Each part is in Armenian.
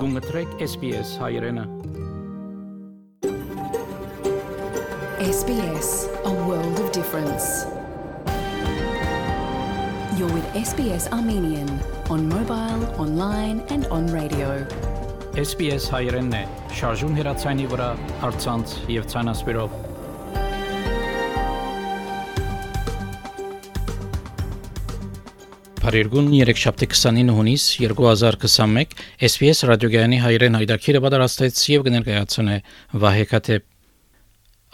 Գունգտրեք SPS հայրենը SBS, a world of difference. You're with SBS Armenian on mobile, online and on radio. SPS հայրենն է, շարժուն հեռացայինի վրա, առցանց եւ ցանասպիրով։ Փարիգուն 3-29 հունիս 2021 SPS ռադիոգյանի հայրեն հայտակիրը պատրաստեց եւ կներկայացնե Վահե Քաթեփ։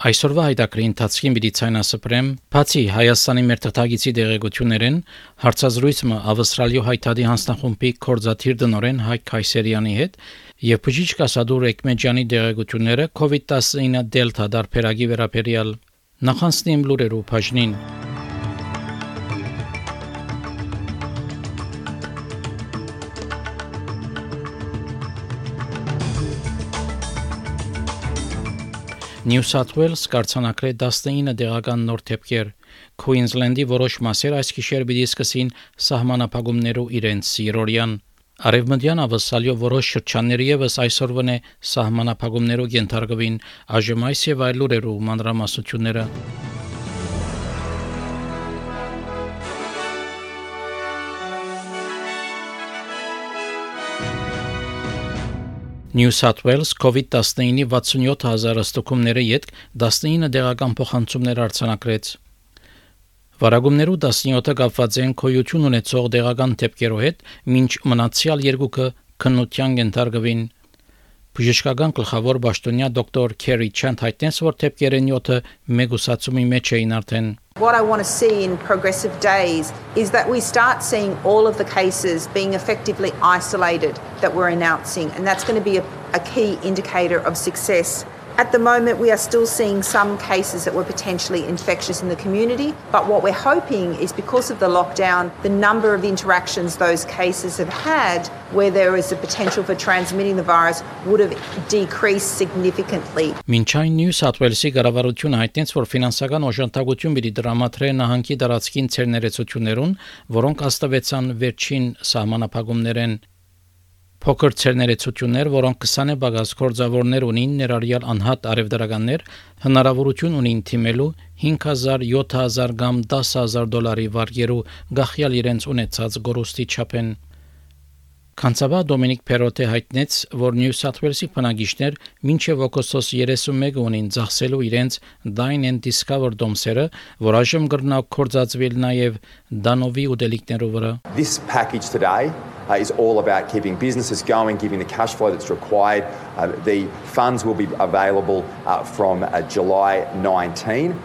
Այսօրվա հայտակրի ընթացքին պիտի ցանասպրեմ բացի Հայաստանի մեր թղթակիցի դեղեցություններեն հարցազրույցը Ավստրալիա հայտարարի հանձնախումբի կորզաթիր դնորեն Հայկ Քայսերյանի հետ եւ բժիշկ Ասադուր Էկմեջյանի դեղեցությունները COVID-19 դելտա դարբերակի վերաբերյալ նախանցնիմ լուրերու բաժնին։ New South Wales կարգանակրե 19 դեղական նոր դեպքեր, Queensland-ի որոշ մասեր այս գիշեր պիտի սկսին սահմանափակումներով իրենց երօրյան, Արևմտյան Ավստրալիա որոշ շրջանների ևս այսօրվան է սահմանափակումներով ենթարկվին, այժմ այս եւ այլ լուրերով մանրամասնությունները։ New South Wales COVID-19-ի 67,000 ստուգումների յետք 19 դեղական փոխանցումներ արձանագրեց։ Վարագումներու 17-ը կապված են քոյություն ունեցող դեղական դեպքերով հետ, մինչ մնացյալ երկուքը քննության ենթարկվին։ Բժշկական գլխավոր պաշտոնյա դոկտոր Քերի Չանդ հայտնեց, որ դեպքերն 7-ը մեգուսացումի մեջ էին արդեն։ What I want to see in progressive days is that we start seeing all of the cases being effectively isolated that we're announcing, and that's going to be a key indicator of success. At the moment, we are still seeing some cases that were potentially infectious in the community, but what we're hoping is because of the lockdown, the number of interactions those cases have had where there is a potential for transmitting the virus would have decreased significantly. Մինչայն New South Wales-ի կառավարությունը հայտնեց, որ ֆինանսական օժանդակություն պիտի դրամատրե նահանգի դարածքին ցերներեցություններուն, որոնք հաստատվեցան վերջին սահմանափակումներեն։ Փոքր ցերներեցություններ, որոնք 20 բագաս կորձավորներ ունին, ներառյալ անհատ արևդարականներ, հնարավորություն ունին թիմելու 5,000, 7,000 կամ 10,000 դոլարի վարկերու գախյալ իրենց ունեցած գորուստի չափեն։ Կանցաբա Դոմինիկ Պերոտե հայտնեց, որ New South Wales-ի բնակիչներ մինչև օգոստոս 31 ունին ծախսելու իրենց Dine and Discover դոմսերը, որ այժմ կրնա կորձածվել նաև Դանովի ուտելիքներով վրա։ This package today is all about keeping businesses going, giving the cash flow that's required. The funds will be available from July 19.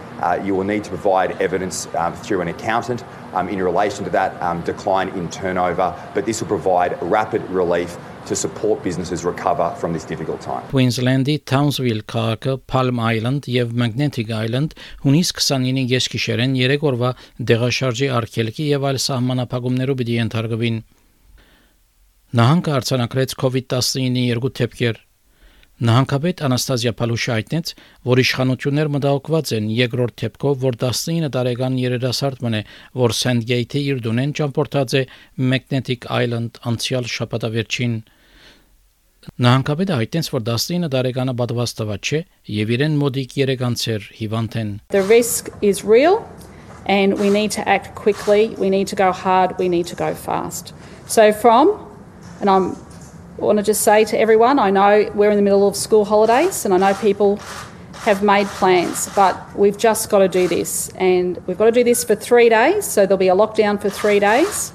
You will need to provide evidence through an accountant in relation to that decline in turnover, but this will provide rapid relief to support businesses recover from this difficult time. Queensland-ի Townsville քաղաքը, Palm Island եւ Magnetic Island հունիս 29-ի գիշերեն 3 օրվա դեղաշարժի արգելքի եւ այլ սահմանափակումներով պիտի ենթարկվին։ Նահանգը արձանագրեց COVID-19-ի 2 դեպքեր։ Նահանգապետ Անաստազիա Փալուշը հայտնեց, որ իշխանություններ մտահոգված են երկրորդ դեպքով, որ 19 տարեկան երիտասարդն է, որ Sandgate-ի իր դունեն ճամփորդած է Magnetic Island անցյալ շաբաթավերջին։ Նահանգապետը հայտնեց, որ 19 տարեկանը պատվաստված չէ եւ իրեն մոդիկ 3 անցեր հիվանդ են։ The risk is real and we need to act quickly, we need to go hard, we need to go fast. So and I want to just say to everyone, I know we're in the middle of school holidays and I know people have made plans, but we've just got to do this. And we've got to do this for 3 days, so there'll be a lockdown for 3 days.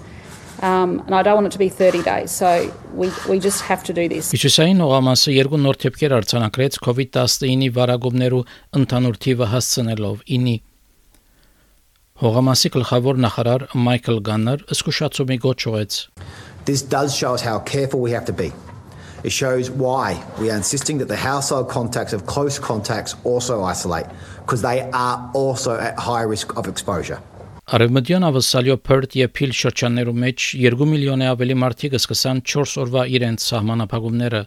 And I don't want it to be 30 days, so we just have to do this. Միջազգային օղամասը 2 նոր դեպքեր արձանագրեց COVID-19-ի վարագումներու ընդհանուր թիվը հասցնելով 9-ի։ Հողամասի գլխավոր նախարար Michael Gunner զսկուշացումի գոչ ուղեց։ This does show us how careful we have to be. It shows why we are insisting that the household contacts of close contacts also isolate, because they are also at high risk of exposure. Արևմտյան Ավստրալիա Perth եւ Peel շրջաններում մեջ 2 միլիոնի ավելի մարդիկ սկսան 4 օրվա իրենց սահմանափակումները։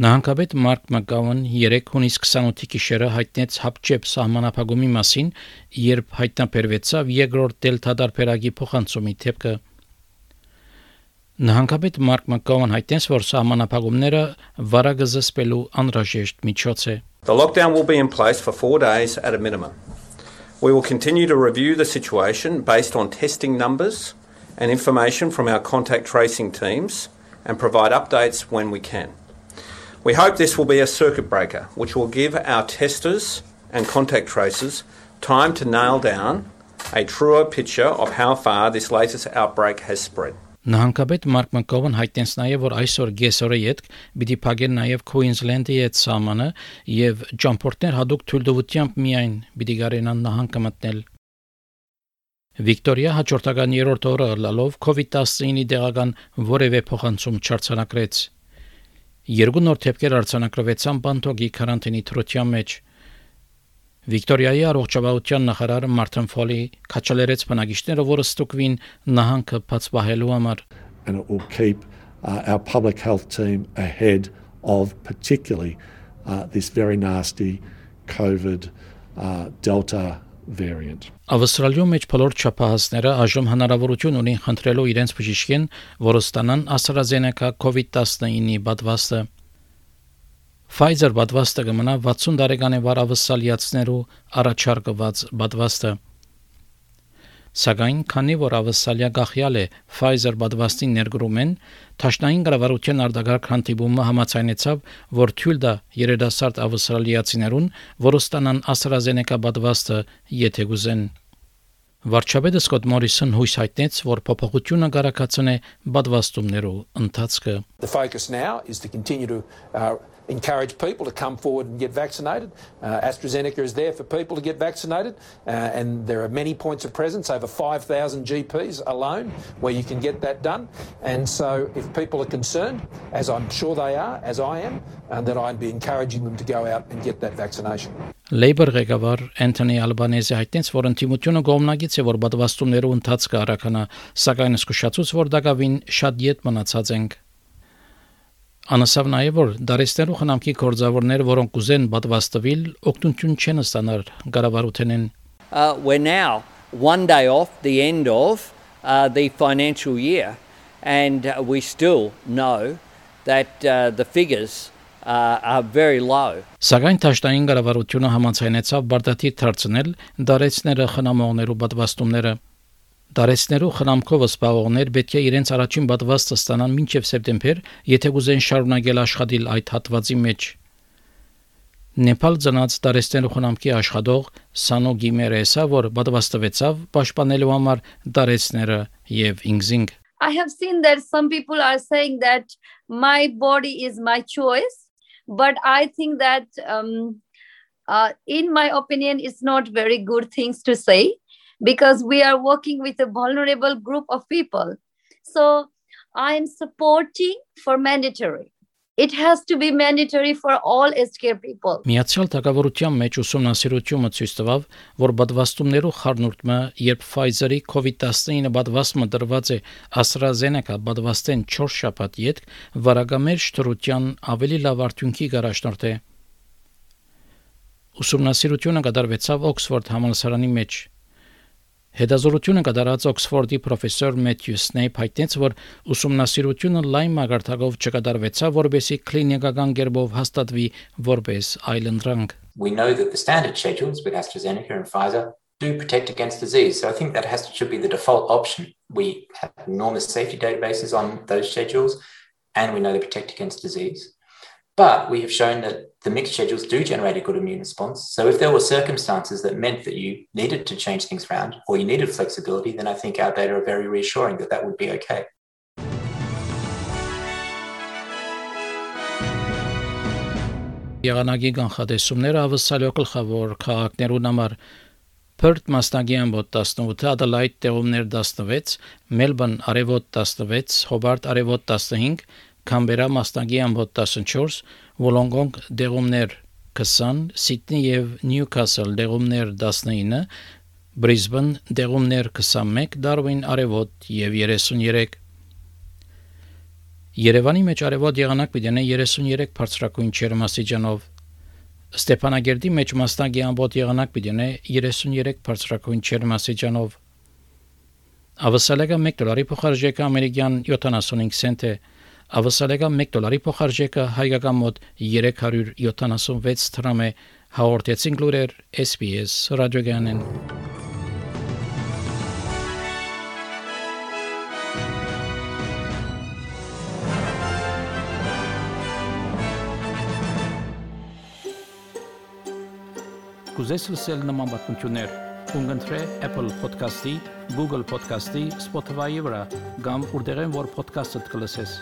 Նահանգապետ Մարկ Մակգավան 3 հունիս 28-ի գիշերը հայտնեց հապճեպ սահմանափակումի մասին, երբ հայտնաբերվեցավ երկրորդ դելտա դարբերակի փոխանցումի դեպքը։ Նահանգապետ Մարկ Մակգովն հայտնեց, որ սահմանափակումները վարակը զսպելու անհրաժեշտ միջոց է. The lockdown will be in place for 4 days at a minimum. We will continue to review the situation based on testing numbers and information from our contact tracing teams and provide updates when we can. We hope this will be a circuit breaker, which will give our testers and contact tracers time to nail down a truer picture of how far this latest outbreak has spread. Նահանգապետ Մարկ Մակգովն հայտնեց նաև, որ այսօր գեսօրը յետք պիտի փակեն նաև Քուինզլենդի հետ սահմանը եւ ճամփորդներ հadoop թույլտվությամբ միայն պիտի գարենան նահանգը մտնել։ Վիկտորիա հաջորդական երրորդ օրը լալով COVID-19-ի դեղական որևէ փոխանցում չարձանագրեց։ Երկու նոր դեպքեր արձանագրվեցան Բանտոգի կարանտինի թրության մեջ։ Վիկտորիայի առողջապահության նախարար Մարտին Ֆոլի քաչալերեց բնակիչները, որ ստուգվին նահանգը բացվահելու համար։ And it will keep our public health team ahead of particularly this very nasty COVID Delta variant. Ավստրալիայի մեջ բոլոր չափահասները այժմ հնարավորություն ունեն խնդրելու իրենց բժիշկին, որ ստանան AstraZeneca COVID-19-ի պատվաստը։ Pfizer պատվաստը կմնա 60 տարեկան ավստրալիացիներու առաջարկված պատվաստը։ Սակայն քանի որ Ավստրալիա գախյալ է Pfizer պատվաստին ներգրում են, Թաշնային կառավարության արտագաղթ հանդիպումը համաձայնեցավ, որ թույլ տա երիտասարդ ավստրալիացիներուն, որ ստանան AstraZeneca պատվաստը, եթե գուզեն։ Վարչապետը Սկոտ Մորիսոն հույս հայտնեց, որ փոփոխությունը կարգացնե պատվաստումներու ընթացքը։ The focus now is to continue to encourage people to come forward and get vaccinated. AstraZeneca is there for people to get vaccinated, and there are many points of presence, over 5,000 GPs alone, where you can get that done. And so if people are concerned, as I'm sure they are, as I am, then I'd be encouraging them to go out and get that vaccination. Labour ղեկավար Անթոնի Ալբանեզը հայտնեց, որ ընդդիմությունը կողմնակից է, որ պատվաստումներու ընթացքը արականա, սակայն զսկուշացուց, որ դակավին շատ յետ մնացած ենք։ Անասավ նաև, որ դարեստերու խնամքի գործավորներ, որոնք ուզեն պատվաստվել, օգնություն չեն ստանալ կառավարութենեն։ We're now one day off the end of the financial year, and we still know that the figures are very low. Սակայն Թաշնային կառավարությունը համաձայնեցավ բարդաթիր դարձնել դարեցները խնամողներու պատվաստումները։ Դարեցներու խնամքով սպառողներ պետք է իրենց առաջին պատվաստը ստանան մինչև սեպտեմբեր, եթե կուզեն շարունակել աշխատել այդ հատվածի մեջ։ Նեպալ ծնած դարեցներու խնամքի աշխատող Սանո Գիմերեսը, որ պատվաստվեցավ պաշտպանելու համար դարեցները եւ ինքզինգ։ I have seen that some people are saying that my body is my choice, but I think that in my opinion it's not very good things to say, because we are working with a vulnerable group of people. So I am supporting for mandatory. It has to be mandatory for all aged care people. Միացյալ Թագավորության մեջ ուսումնասիրությունը ցույց տվավ, որ պատվաստումներու խառնուրդը, երբ Pfizer-ի COVID-19 պատվաստումը դրված է AstraZeneca պատվաստեն 4 շաբաթ յետք, վարակամերժ թրության ավելի լավ արդյունքի գարաշնորհ է։ Ուսումնասիրությունը կատարվեցավ Օքսֆորդ համալսարանի մեջ։ Հետազոտությունը կատարած Օքսֆորդի պրոֆեսոր Մեթյու Սնեյփ հայտնեց, որ ուսումնասիրությունը լայն մագարտակով չկատարվեցավ, որբեսի կլինիկական կերպով հաստատվի որպես այլընտրանք։ We know that the standard schedules with AstraZeneca and Pfizer do protect against disease, so I think that should be the default option. We have enormous safety databases on those schedules, and we know they protect against disease. But we have shown that the mixed schedules do generate a good immune response. So if there were circumstances that meant that you needed to change things around or you needed flexibility, then I think our data are very reassuring that that would be okay. Եղանակի կանխատեսումները ավսալյո գլխավոր քաղաքներուն համար Perth մասնագի ամբոտ 18, Adelaide տեղումներ 16, Melbourne արևոտ 16, Hobart արևոտ 15, Canberra մասնագի ամբոտ 14, Wollongong դեղումներ 20, Sydney եւ Newcastle դեղումներ 19, Brisbane դեղումներ 21, Darwin արևոտ եւ 33։ Երևանի մեջ արևոտ եղանակ պիտի 33 բարձրակույն ջերմաստիճանով, Ստեփանագերդի մեջ մասնագի ամբոտ եղանակ պիտի 33 բարձրակույն ջերմաստիճանով, Ավասալեգա $1 փոխարժեքը ամերիկյան 75 سنت է։ Ավասալեգա $1 փոխարժեքը հայկական մոտ 376 դրամ է։ Հաղորդեցին լուրեր SBS ռադիոգանեն։ Կուզես լսել նման բանություններ, կընտրե Apple Podcast-ի, Google Podcast-ի, Spotify-ի վրա, կամ որտեղեն որ podcast-ը կլսես։